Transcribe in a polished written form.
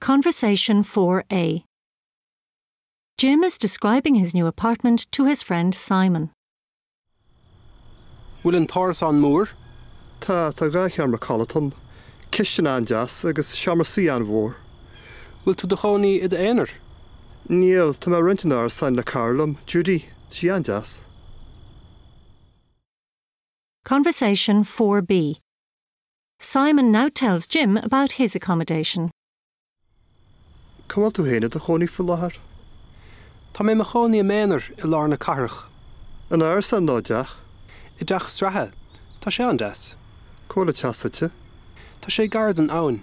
Conversation 4A Jim is describing his new apartment to his friend Simon. Bhfuil an t-árasán mór? Tá, tá 2 sheomra codlata ann, cistin an-deas agus seomra suí an-mhór. Bhfuil tú do chónaí i d'aonar? Níl, tá mé ag roinnt an árasáin le cara liom, Judy, tá sí an-deas. Conversation 4B Simon now tells Jim about his accommodation. Cá bhfuil tú féin i do chónaí faoi láthair? Tá mé i mo chónaí i m'aonar i lár na cathrach. In árasán nó i dteach? I dteach sraithe. Tá sé an-deas. Cá bhfuil an teach suite? Tá sé gar don abhainn.